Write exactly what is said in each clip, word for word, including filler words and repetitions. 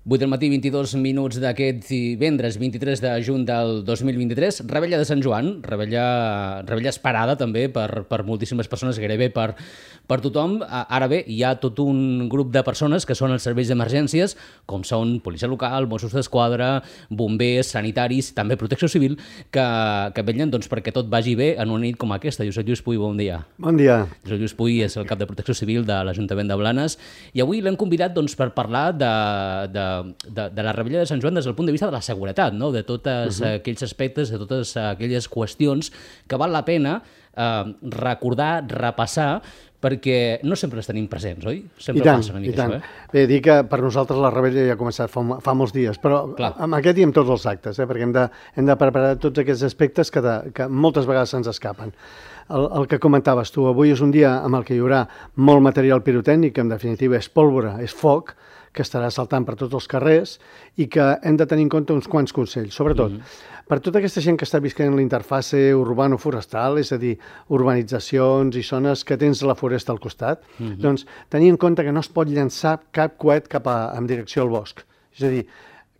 vuit del matí, vint-i-dos minuts d'aquest divendres, vint-i-tres de juny del dos mil vint-i-tres, Revetlla de Sant Joan, revetlla, revetlla esperada també per, per moltíssimes persones, gairebé per, per tothom. Ara bé, hi ha tot un grup de persones que són els serveis d'emergències, com són policia local, Mossos d'Esquadra, bombers, sanitaris, també protecció civil, que, que vetllen doncs, perquè tot vagi bé en una nit com aquesta. Josep Lluís Puy, bon dia. Bon dia. Josep Lluís Puy és el cap de protecció civil de l'Ajuntament de Blanes i avui l'hem convidat doncs, per parlar de, de De, de la Revetlla de Sant Joan des del punt de vista de la seguretat, no? De tots uh-huh. aquells aspectes, de totes aquelles qüestions que val la pena eh, recordar, repassar, perquè no sempre les tenim presents, oi? Sempre I tant, passa una mica i tant. això, eh? Bé, dir que per nosaltres la Revetlla ja ha començat fa, fa molts dies, però Clar. amb aquest i amb tots els actes, eh? perquè hem de, hem de preparar tots aquests aspectes que, de, que moltes vegades se'ns escapen. El, el que comentaves tu, avui és un dia amb el que hi haurà molt material pirotècnic, que en definitiva és pólvora, és foc, que estarà saltant per tots els carrers i que hem de tenir en compte uns quants consells, sobretot mm-hmm. per tota aquesta gent que està visquent l'interface urbano-forestal, és a dir, urbanitzacions i zones que tens la foresta al costat, mm-hmm. doncs tenir en compte que no es pot llançar cap coet cap a, en direcció al bosc. És a dir,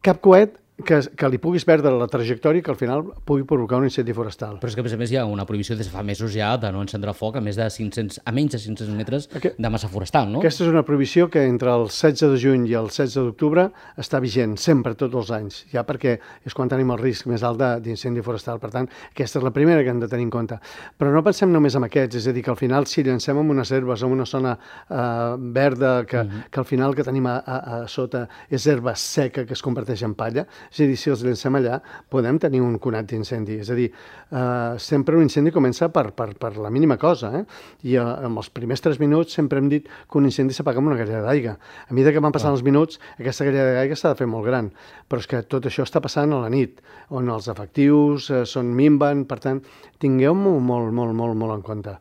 cap coet que, que li puguis perdre la trajectòria que al final pugui provocar un incendi forestal. Però és que, a més a més, hi ha una prohibició des de fa mesos ja de no encendre foc a més de cinc-cents, a menys de cinc-cents metres Aquest, de massa forestal, no? Aquesta és una prohibició que entre el setze de juny i el setze d'octubre està vigent sempre, tots els anys, ja perquè és quan tenim el risc més alt d'incendi forestal. Per tant, aquesta és la primera que hem de tenir en compte. Però no pensem només en aquests, és a dir, que al final si llancem en unes herbes, en una zona eh, verda, que, uh-huh. que al final que tenim a, a, a sota és herba seca que es converteix en palla, és a dir, si els llancem allà, podem tenir un conat d'incendi. És a dir, eh, sempre un incendi comença per, per, per la mínima cosa, eh? I eh, en els primers tres minuts sempre hem dit que un incendi s'apaga amb una galleda d'aigua. A mesura que van passant els minuts, aquesta galleda d'aigua s'ha de fer molt gran. Però és que tot això està passant a la nit, on els efectius eh, són minven, per tant, tingueu-m'ho molt, molt, molt, molt en compte,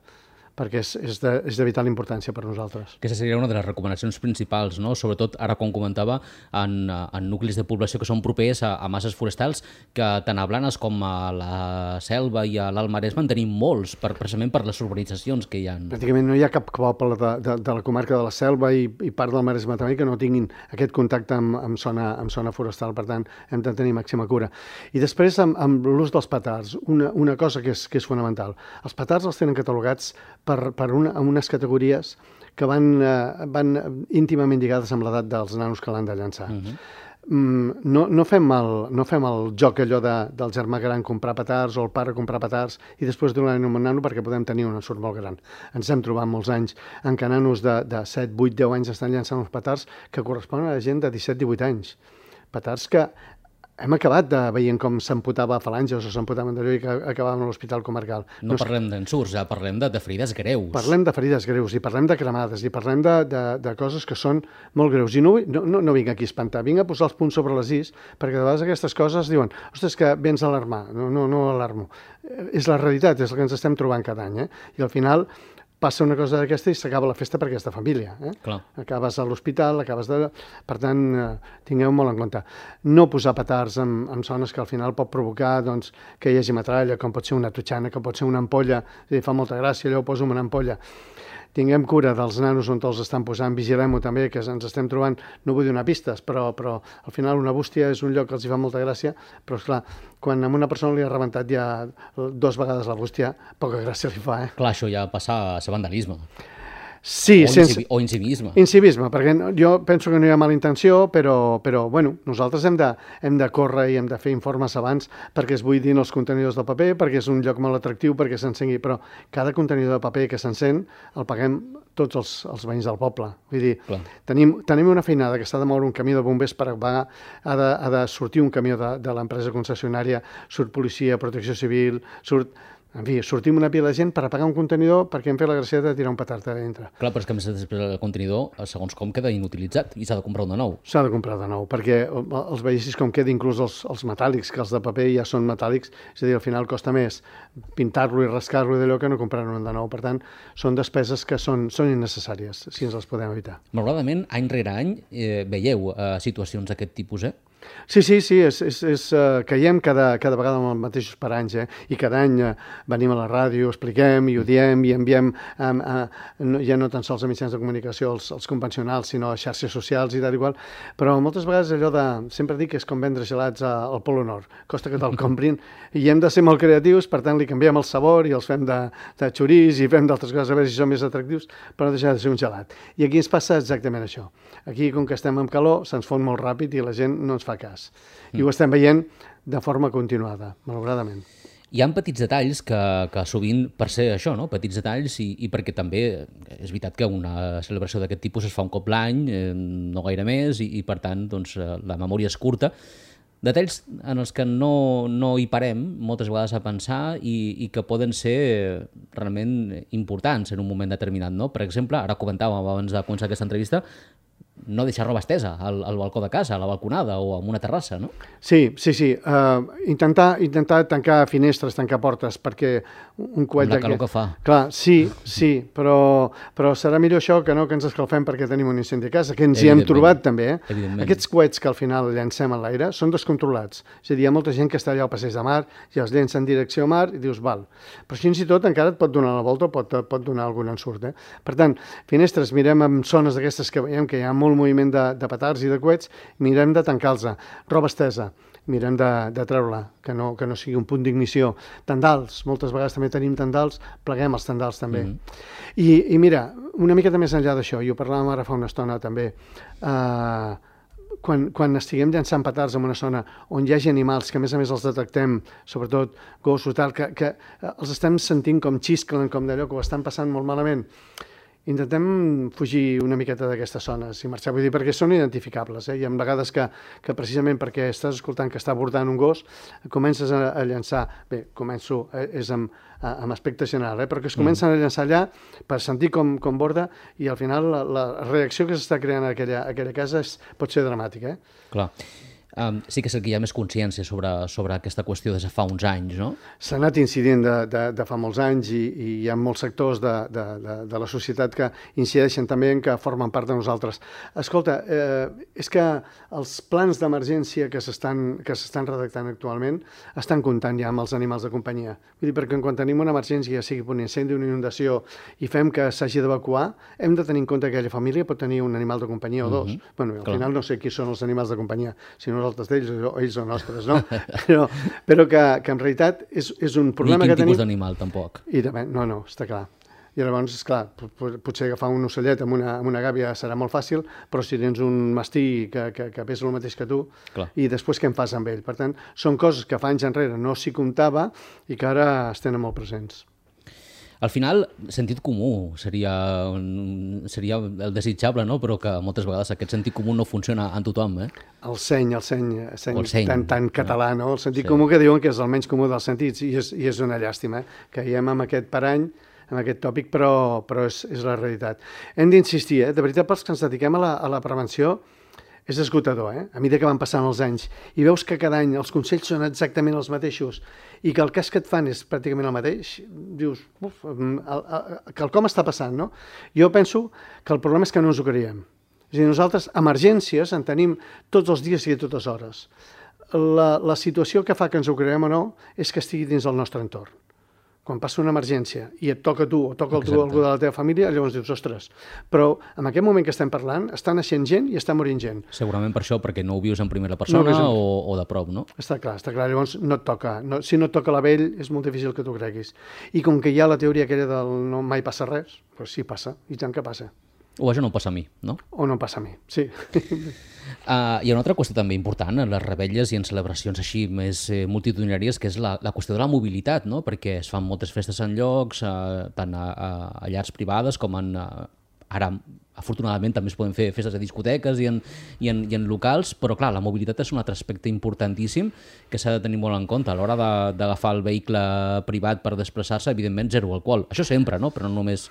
perquè és, és, de, és de vital importància per nosaltres. Aquesta seria una de les recomanacions principals, no? Sobretot, ara com comentava, en, en nuclis de població que són propers a, a masses forestals, que tant a Blanes com a la Selva i a l'Alt Maresme en tenim molts, per, precisament per les urbanitzacions que hi ha. Pràcticament no hi ha cap poble de, de, de la comarca de la Selva i, i part del Maresme també que no tinguin aquest contacte amb, amb, zona, amb zona forestal, per tant, hem de tenir màxima cura. I després, amb, amb l'ús dels petards, una, una cosa que és, que és fonamental. Els petards els tenen catalogats per, per una, amb unes categories que van, eh, van íntimament lligades amb l'edat dels nanos que l'han de llançar. Uh-huh. mm, no, no, fem el, no fem el joc allò de, del germà gran comprar petards o el pare comprar petards i després donar-ne un nano perquè podem tenir un ensurt molt gran. Ens hem trobat molts anys en què nanos de, de set, vuit, deu anys estan llançant uns petards que corresponen a gent de disset, divuit anys. Petards que hem acabat de veient com s'amputava falanges o s'amputaven d'allò i que acabàvem a l'hospital comarcal. No, no parlem d'ensurts, ja parlem de, de ferides greus. Parlem de ferides greus i parlem de cremades i parlem de, de, de coses que són molt greus. I no, no, no, no vinc aquí a espantar, vinc a posar els punts sobre les is, perquè de vegades aquestes coses diuen ostres, que vens a alarmar. No, no, no alarmo. És la realitat, és el que ens estem trobant cada any. Eh? I al final passa una cosa d'aquesta i s'acaba la festa per aquesta família. Eh? Clar. Acabes a l'hospital, acabes de... Per tant, eh, tingueu molt en compte. No posar petards en, en zones que al final pot provocar doncs, que hi hagi metralla, com pot ser una totxana, que pot ser una ampolla. És a dir, fa molta gràcia, allò ho poso en una ampolla. Tinguem cura dels nanos on els estan posant, vigilem-ho també, que ens estem trobant, no vull donar pistes, però, però al final una bústia és un lloc que els hi fa molta gràcia, però esclar, quan a una persona li ha rebentat ja dues vegades la bústia, poca gràcia li fa, eh? Clar, això ja passa a ser vandalisme. Sí, o, sense... o incivisme. Incivisme, perquè jo penso que no hi ha mala intenció, però, però bueno, nosaltres hem de, hem de córrer i hem de fer informes abans perquè es buidin els contenidors de paper, perquè és un lloc molt atractiu, perquè s'encengui, però cada contenidor de paper que s'encén el paguem tots els, els veïns del poble. Vull dir, tenim, tenim una feinada que s'ha de moure un camió de bombers per pagar, ha de, ha de sortir un camió de, de l'empresa concessionària, surt policia, protecció civil, surt... En fi, sortim una pila de gent per apagar un contenidor perquè hem fet la gràcia de tirar un petard a dintre. Clar, però és que a més després el contenidor, segons com, queda inutilitzat i s'ha de comprar un de nou. S'ha de comprar de nou, perquè els veiessis com queda inclús els, els metàl·lics, que els de paper ja són metàl·lics, és a dir, al final costa més pintar-lo i rascar-lo d'allò que no comprar-ne un de nou. Per tant, són despeses que són, són innecessàries, si ens les podem evitar. Malauradament, any rere any, eh, veieu eh, situacions d'aquest tipus, eh? Sí, sí, sí, és, és, és, uh, caiem cada, cada vegada amb els mateixos paranys, eh? I cada any uh, venim a la ràdio, expliquem i ho diem i enviem um, uh, no, ja no tan sols a mitjans de comunicació els, els convencionals, sinó a xarxes socials i tal i qual, però moltes vegades allò de, sempre dic que és com vendre gelats a, al Polo Nord, costa que te'l comprin i hem de ser molt creatius, per tant li canviem el sabor i els fem de, de xorís i fem d'altres coses a veure si són més atractius, però no deixa de ser un gelat. I aquí ens passa exactament això. Aquí, com que estem amb calor, se'ns fon molt ràpid i la gent no ens fa cas. I ho estem veient de forma continuada, malauradament. Hi ha petits detalls que, que sovint, per ser això, no? Petits detalls, i, i perquè també és veritat que una celebració d'aquest tipus es fa un cop l'any, eh, no gaire més, i, i per tant doncs, la memòria és curta. Detalls en els que no, no hi parem moltes vegades a pensar i, i que poden ser realment importants en un moment determinat, no? Per exemple, ara comentàvem abans de començar aquesta entrevista, no deixar roba estesa al, al balcó de casa, a la balconada o en una terrassa, no? Sí, sí, sí. Uh, intentar, intentar tancar finestres, tancar portes, perquè un coet... Amb la calor que fa. Clar, sí, sí, però, però serà millor això que no que ens escalfem perquè tenim un incendi a casa, que ens hi hem trobat també. Eh? Aquests coets que al final llancem a l'aire són descontrolats. És a dir, hi ha molta gent que està allà al passeig de mar i els llença en direcció a mar i dius, val. Però fins i tot encara et pot donar la volta o pot, pot donar algun ensurt. Eh? Per tant, finestres, mirem amb zones d'aquestes que veiem que hi ha molt moviment de, de petards i de coets, mirem de tancar-los. Roba estesa, mirem de, de treure-la, que no, que no sigui un punt d'ignició. Tendals, moltes vegades també tenim tendals, pleguem els tendals també. Mm-hmm. I, I mira, una miqueta més enllà d'això, i ho parlàvem ara fa una estona també, eh, quan, quan estiguem llançant petards en una zona on hi hagi animals, que a més a més els detectem, sobretot gossos, tal, que, que els estem sentint com xisclen, com d'allò que ho estan passant molt malament, intentem fugir una miqueta d'aquestes zones i marxar, vull dir, perquè són identificables, eh? Hi ha vegades que, que precisament perquè estàs escoltant que està abordant un gos, comences a, a llançar, bé, començo, eh, és amb, amb aspecte general, eh? Però que es comencen mm. a llançar allà per sentir com, com borda i al final la, la reacció que s'està creant a aquella, a aquella casa és, pot ser dramàtica. Eh? Clar. Um, sí que és que hi ha més consciència sobre, sobre aquesta qüestió des de fa uns anys, no? S'ha anat incidint de, de, de fa molts anys i, i hi ha molts sectors de, de, de, de la societat que incideixen també en que formen part de nosaltres. Escolta, eh, és que els plans d'emergència que s'estan que s'estan redactant actualment estan comptant ja amb els animals de companyia. Vull dir, perquè quan tenim una emergència, sigui per un incendi, una inundació, i fem que s'hagi d'evacuar, hem de tenir en compte que aquella família pot tenir un animal de companyia o dos. Mm-hmm. Bueno, al Clar. final no sé qui són els animals de companyia, si no altres d'ells o ells o nostres, no? però, però que, que en realitat és, és un problema que tenim... Ni quin tipus d'animal, tampoc. I també, no, no, està clar. I llavors, esclar, potser agafar un ocellet amb una, amb una gàbia serà molt fàcil, però si tens un mastí que, que, que pesa el mateix que tu, clar. I després què en fas amb ell? Per tant, són coses que fa anys enrere no s'hi comptava i que ara es tenen molt presents. Al final, sentit comú seria, seria el desitjable, no? Però que moltes vegades aquest sentit comú no funciona en tothom. Eh? El seny, el seny, el seny, el seny tan, tan català, no? El sentit sí. comú que diuen que és el menys comú dels sentits, i és, i és una llàstima, eh? Que hi hem amb aquest parany, amb aquest tòpic, però, però és, és la realitat. Hem d'insistir, eh? De veritat, pels que ens dediquem a la, a la prevenció, és esgotador, eh? A mesura que van passant els anys i veus que cada any els consells són exactament els mateixos i que el cas que et fan és pràcticament el mateix, dius, uf, el, el, quelcom està passant, no? Jo penso que el problema és que no ens ho creiem. És a dir, nosaltres emergències en tenim tots els dies i a totes hores. La, la situació que fa que ens ho creiem o no és que estigui dins del nostre entorn. Quan passa una emergència i et toca a tu o toca a tu algú de la teva família, llavors dius, ostres, però en aquest moment que estem parlant està naixent gent i està morint gent. Segurament per això, perquè no ho vius en primera persona no, o, o de prop, no? Està clar, està clar. Llavors no et toca. No, si no et toca la vell, és molt difícil que t'ho creguis. I com que hi ha la teoria aquella del no mai passa res, doncs sí passa, i tant que passa. O això no passa a mi, no? O no passa a mi, sí. Uh, hi ha una altra qüestió també important en les revetlles i en celebracions així més eh, multitudinàries, que és la, la qüestió de la mobilitat, no? Perquè es fan moltes festes en llocs, uh, tant a, a, a llars privades com en... Uh, ara, afortunadament, també es poden fer festes a discoteques i en, i, en, i en locals, però clar, la mobilitat és un altre aspecte importantíssim que s'ha de tenir molt en compte. A l'hora d'agafar el vehicle privat per desplaçar-se, evidentment, zero alcohol. Això sempre, no? Però no només...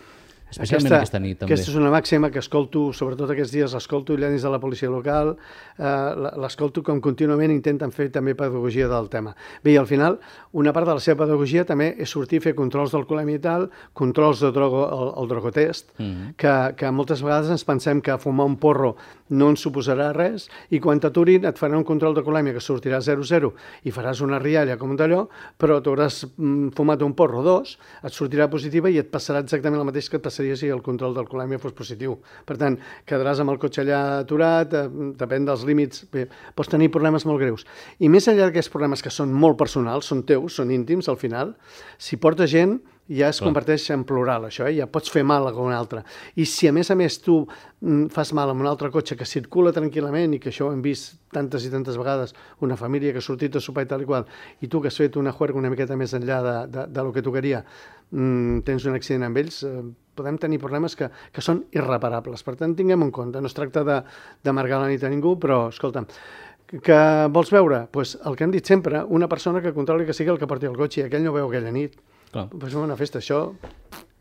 especialment aquesta, aquesta nit, també. Aquesta és una màxima que escolto, sobretot aquests dies, l'escolto allà dins de la policia local, eh, l'escolto com contínuament intenten fer també pedagogia del tema. Bé, i al final, una part de la seva pedagogia també és sortir a fer controls d'alcoholèmia i tal, controls de drogo, el, el drogotest, mm -hmm. que, que moltes vegades ens pensem que fumar un porro no ens suposarà res, i quan t'aturin et farà un control d'alcoholèmia que sortirà zero zero i faràs una rialla com un d'allò, però t'hauràs mm, fumat un porro o dos, et sortirà positiva i et passarà exactament el mateix que et passaria si el control d'alcoholèmia fos positiu. Per tant, quedaràs amb el cotxe allà aturat, eh, depèn dels límits, bé, pots tenir problemes molt greus. I més enllà d'aquests problemes que són molt personals, són teus, són íntims al final, si porta gent ja es converteix en plural, això, eh? Ja pots fer mal a un altre. I si a més a més tu mm, fas mal amb un altre cotxe que circula tranquil·lament, i que això ho hem vist tantes i tantes vegades, una família que ha sortit a sopar i tal i qual, i tu que has fet una juerga una miqueta més enllà de, de, de lo que tocaria, mm, tens un accident amb ells, eh, podem tenir problemes que, que són irreparables. Per tant, tinguem en compte, no es tracta d'amargar la nit a ningú, però, escolta'm, que vols veure? Pues el que hem dit sempre, una persona que controli que sigui el que porti el cotxe, i aquell no veu aquella nit. Clar. Pues una festa, això...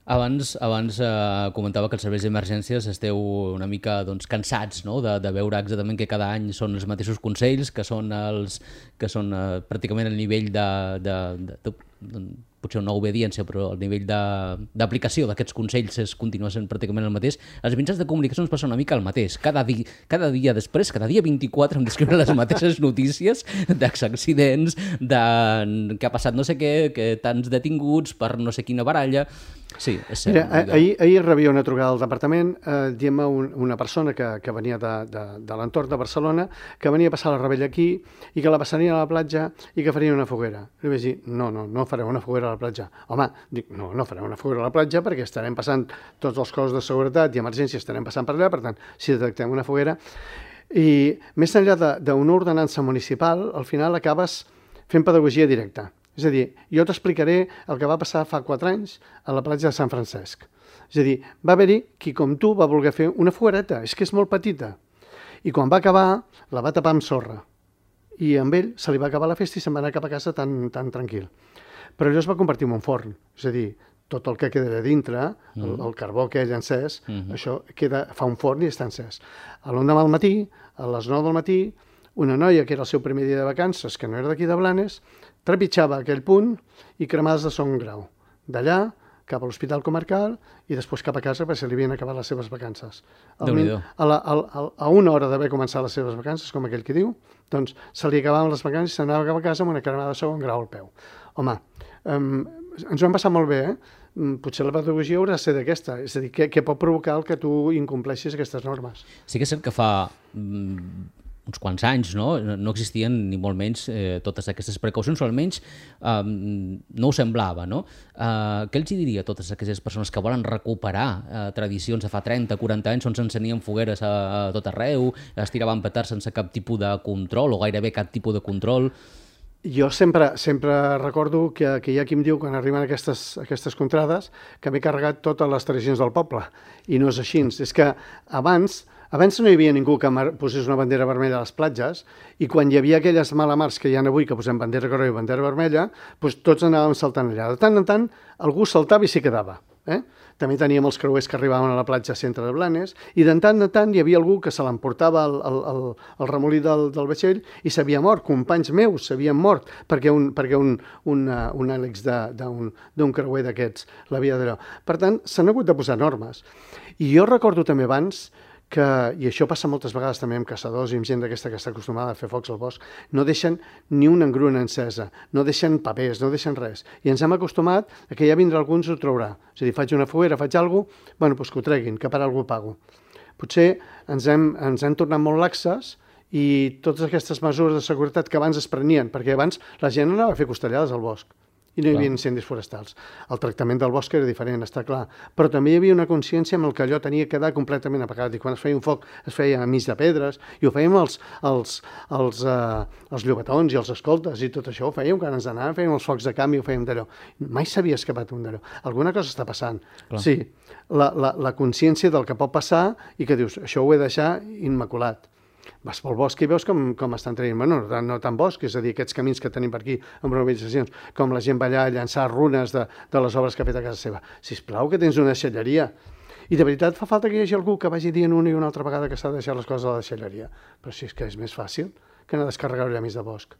Abans, abans eh, comentava que els serveis d'emergències esteu una mica doncs, cansats, no? de, de veure exactament que cada any són els mateixos consells, que són, els, que són eh, pràcticament el nivell de, de, de, de, de potser una obediència, però el nivell d'aplicació d'aquests consells és, continua sent pràcticament el mateix. Els mitjans de comunicació ens passa una mica el mateix. Cada, di, cada dia després, cada dia vint-i-quatre, em descriuen les mateixes notícies d'accidents, de que ha passat no sé què, que tants detinguts per no sé quina baralla. Sí, és cert. Mira, ahir, ahir rebia una trucada al departament eh, dient-me un, una persona que, que venia de, de, de l'entorn de Barcelona, que venia a passar la rebella aquí i que la passarien a la platja i que farien una foguera. I vaig dir, no, no, no fareu una foguera a la platja. Home, dic, no, no farem una foguera a la platja perquè estarem passant tots els cossos de seguretat i emergència estarem passant per allà, per tant, si detectem una foguera. I més enllà d'una ordenança municipal, al final acabes fent pedagogia directa. És a dir, jo t'explicaré el que va passar fa quatre anys a la platja de Sant Francesc. És a dir, va haver-hi qui com tu va voler fer una foguereta, és que és molt petita. I quan va acabar, la va tapar amb sorra. I amb ell se li va acabar la festa i se'n va anar cap a casa tan, tan tranquil. Però allò es va convertir en un forn. És a dir, tot el que queda de dintre, el, el carbó que ell ha encès, mm-hmm. això queda, fa un forn i està encès. A l'endemà al matí, a les nou del matí, una noia que era el seu primer dia de vacances, que no era d'aquí de Blanes, trepitjava aquell punt i cremades de segon grau. D'allà cap a l'Hospital Comarcal i després cap a casa perquè se li havien acabat les seves vacances. A, la, a, a, a una hora d'haver començat les seves vacances, com aquell que diu, doncs se li acabaven les vacances i s'anava cap a casa amb una cremada de segon grau al peu. Home, um, ens ho hem passat molt bé, eh? Potser la pedagogia haurà de ser d'aquesta, és a dir, què, què pot provocar el que tu incompleixis aquestes normes. Sí que és cert que fa mm, uns quants anys no, no existien ni molt menys eh, totes aquestes precaucions, o almenys eh, no ho semblava. No? Eh, què els diria a totes aquelles persones que volen recuperar eh, tradicions de fa trenta, quaranta anys on s'encenien fogueres a, a tot arreu, es tiraven petards sense cap tipus de control o gairebé cap tipus de control? Jo sempre, sempre recordo que, que hi ha qui em diu, quan arriben aquestes, aquestes contrades, que m'he carregat totes les tradicions del poble. I no és així. És que abans, abans no hi havia ningú que posés una bandera vermella a les platges, i quan hi havia aquelles malamars que hi ha avui, que posem bandera groga i bandera vermella, doncs tots anàvem saltant allà. De tant en tant, algú saltava i s'hi quedava. Eh? També teníem els creuers que arribaven a la platja centre de Blanes, i de tant en tant hi havia algú que se l'emportava el, el, el, el remolí del, del vaixell i s'havia mort. Companys meus s'havien mort perquè un, perquè un, un, uh, un àlex d'un creuer d'aquests l'havia d'allò. Per tant, s'han hagut de posar normes. I jo recordo també abans que, i això passa moltes vegades també amb caçadors i amb gent d'aquesta que està acostumada a fer focs al bosc, no deixen ni una engruna encesa, no deixen papers, no deixen res. I ens hem acostumat a que ja vindrà algú ens ho traurà. És a dir, faig una foguera, faig alguna cosa, bueno, doncs que ho treguin, que per algú pago. Potser ens hem, ens hem tornat molt laxes i totes aquestes mesures de seguretat que abans es prenien, perquè abans la gent anava a fer costellades al bosc i no hi havia incendis forestals. El tractament del bosc era diferent, està clar, però també hi havia una consciència amb el que allò tenia que quedar completament apagat, i quan es feia un foc es feia a mig de pedres, i ho fèiem els, els, els, uh, els llobatons i els escoltes i tot això, ho fèiem quan ens anàvem, fèiem els focs de camp i ho fèiem d'allò. Mai s'havia escapat un d'allò. Alguna cosa està passant. Clar. Sí, la, la, la consciència del que pot passar i que dius, això ho he de deixar immaculat. Vas pel bosc i veus com, com estan traient, bueno, no, no tant bosc, és a dir, aquests camins que tenim per aquí amb urbanitzacions, com la gent va allà a llançar runes de, de les obres que ha fet a casa seva. Sisplau, que tens una deixalleria. I de veritat fa falta que hi hagi algú que vagi dient una i una altra vegada que s'ha de deixar les coses a la deixalleria. Però si és que és més fàcil que anar a descarregar llamis de bosc.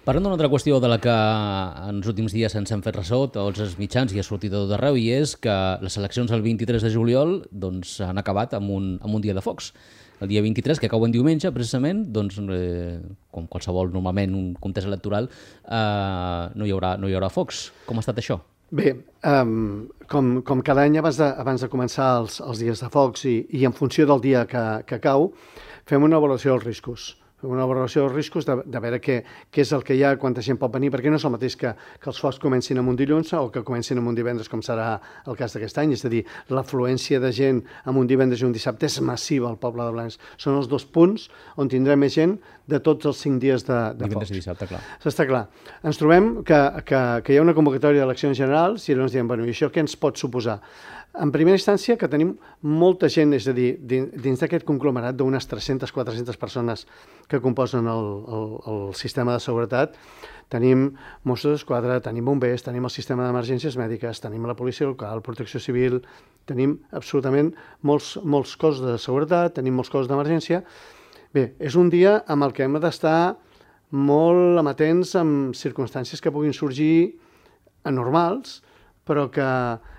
Parlant d'una altra qüestió de la que en els últims dies ens hem fet ressò, tots els mitjans i ha sortit de tot arreu, i és que les eleccions el vint-i-tres de juliol doncs, han acabat amb un, amb un dia de focs. El dia vint-i-tres, que cau en diumenge, precisament, doncs, eh, com qualsevol, normalment, un comptès electoral, eh, no, hi haurà, no hi haurà focs. Com ha estat això? Bé, um, com, com cada any abans de, abans de començar els, els dies de focs i, i en funció del dia que, que cau, fem una avaluació dels riscos. Una valoració dels riscos de, de veure què, què és el que hi ha, quanta gent pot venir, perquè no és el mateix que, que els focs comencin en un dilluns o que comencin en un divendres, com serà el cas d'aquest any. És a dir, l'afluència de gent en un divendres i un dissabte és massiva al poble de Blanes. Són els dos punts on tindrem més gent de tots els cinc dies de, de divendres focs. I dissabte, clar. Està clar. Ens trobem que, que, que hi ha una convocatòria d'eleccions generals i llavors diem, bueno, i això què ens pot suposar? En primera instància, que tenim molta gent, és a dir, dins d'aquest conglomerat d'unes tres-centes a quatre-centes persones que composen el, el, el sistema de seguretat, tenim Mossos d'Esquadra, tenim bombers, tenim el sistema d'emergències mèdiques, tenim la policia local, protecció civil, tenim absolutament molts, molts cossos de seguretat, tenim molts cossos d'emergència. Bé, és un dia amb el que hem d'estar molt amatents amb circumstàncies que puguin sorgir anormals, però que,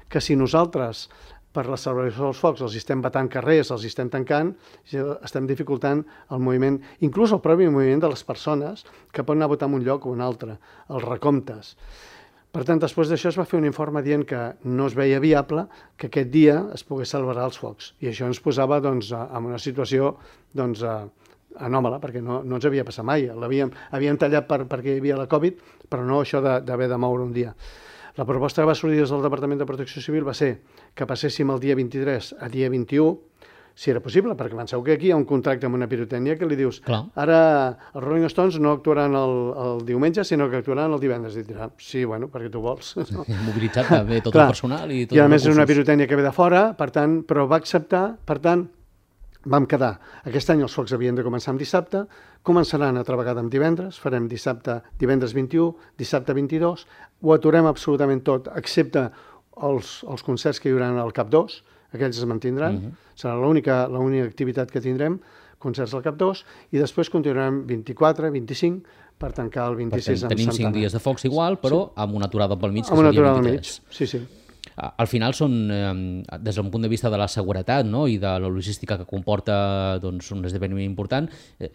que si nosaltres, per la celebració dels focs, els estem batant carrers, els estem tancant, estem dificultant el moviment, inclús el propi moviment de les persones que poden anar a votar en un lloc o un altre, els recomptes. Per tant, després d'això es va fer un informe dient que no es veia viable que aquest dia es pogués celebrar els focs. I això ens posava doncs, en una situació doncs, anòmala, perquè no, no ens havia passat mai. L'havíem havíem tallat per, perquè hi havia la Covid, però no això d'haver de moure un dia. La proposta que va sortir des del Departament de Protecció Civil va ser que passéssim el dia vint-i-tres a dia vint-i-u, si era possible, perquè penseu que aquí hi ha un contracte amb una pirotècnia que li dius, clar, ara els Rolling Stones no actuaran el, el diumenge, sinó que actuaran el divendres. I dirà, sí, bueno, perquè tu vols. No? Mobilitzat també tot Clar. El personal i tot I a els més és una recursos. pirotècnia que ve de fora, per tant, però va acceptar, per tant, vam quedar. Aquest any els focs havien de començar amb dissabte, començaran altra vegada amb divendres, farem dissabte, divendres vint-i-u, dissabte vint-i-dos, ho aturem absolutament tot, excepte els, els concerts que hi haurà al Cap dos, aquells es mantindran, uh -huh. serà l'única l'única activitat que tindrem, concerts al Cap dos, i després continuarem vint-i-quatre, vint-i-cinc, per tancar el vint-i-sis amb Tenim Santana. cinc dies de focs igual, però sí, amb una aturada pel mig, que amb una seria aturada al mig, vint-i-tres. sí, sí. Al final són, eh, des d'un punt de vista de la seguretat, no?, i de la logística que comporta doncs, un esdeveniment important, eh,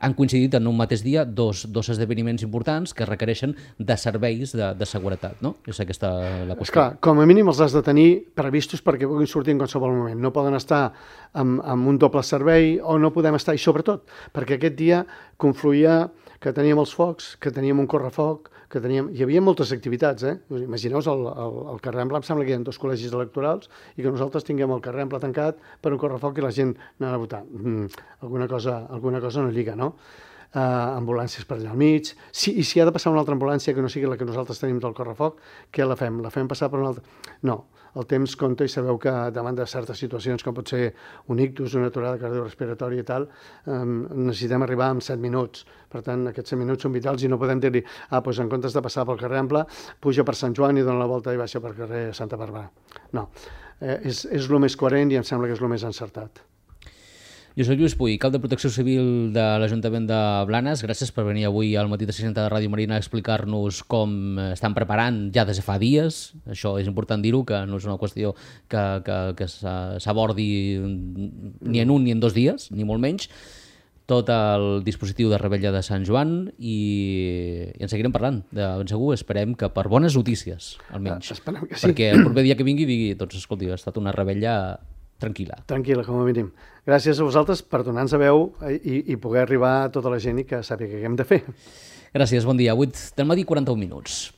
han coincidit en un mateix dia dos, dos esdeveniments importants que requereixen de serveis de, de seguretat, no? És aquesta la qüestió. Esclar, com a mínim els has de tenir previstos perquè puguin sortir en qualsevol moment. No poden estar amb, amb un doble servei o no podem estar, i sobretot, perquè aquest dia confluïa que teníem els focs, que teníem un correfoc, que teníem... Hi havia moltes activitats, eh? Imagineu-vos el, el, el carrer Ample, em sembla que hi ha dos col·legis electorals i que nosaltres tinguem el carrer Ample tancat per un correfoc i la gent anava a votar. Mm, alguna cosa, alguna cosa no lliga, no? Uh, ambulàncies per allà al mig, si, i si ha de passar una altra ambulància que no sigui la que nosaltres tenim del correfoc, què la fem? La fem passar per una altra? No, el temps compta i sabeu que davant de certes situacions com pot ser un ictus, una aturada cardiorrespiratòria i tal, um, necessitem arribar en set minuts. Per tant, aquests set minuts són vitals i no podem dir-li, ah, doncs en comptes de passar pel carrer Ample, puja per Sant Joan i dona la volta i baixa per carrer Santa Bàrbara. No, eh, és, és el més coherent i em sembla que és el més encertat. Josep Lluís Puig, cap de Protecció Civil de l'Ajuntament de Blanes, gràcies per venir avui al Matí de seixanta de Ràdio Marina a explicar-nos com estan preparant ja des de fa dies. Això és important dir-ho, que no és una qüestió que, que, que s'abordi ni en un ni en dos dies, ni molt menys, tot el dispositiu de Revetlla de Sant Joan i, i en seguirem parlant, de ben segur, esperem que per bones notícies, almenys. Esperem que sí. Perquè el proper dia que vingui digui, doncs escolti, ha estat una revetlla tranquil·la. Tranquil·la, com a mínim. Gràcies a vosaltres per donar-nos a veu i, i poder arribar a tota la gent i que sàpiga què hem de fer. Gràcies, bon dia. vuit del matí, quaranta-un minuts.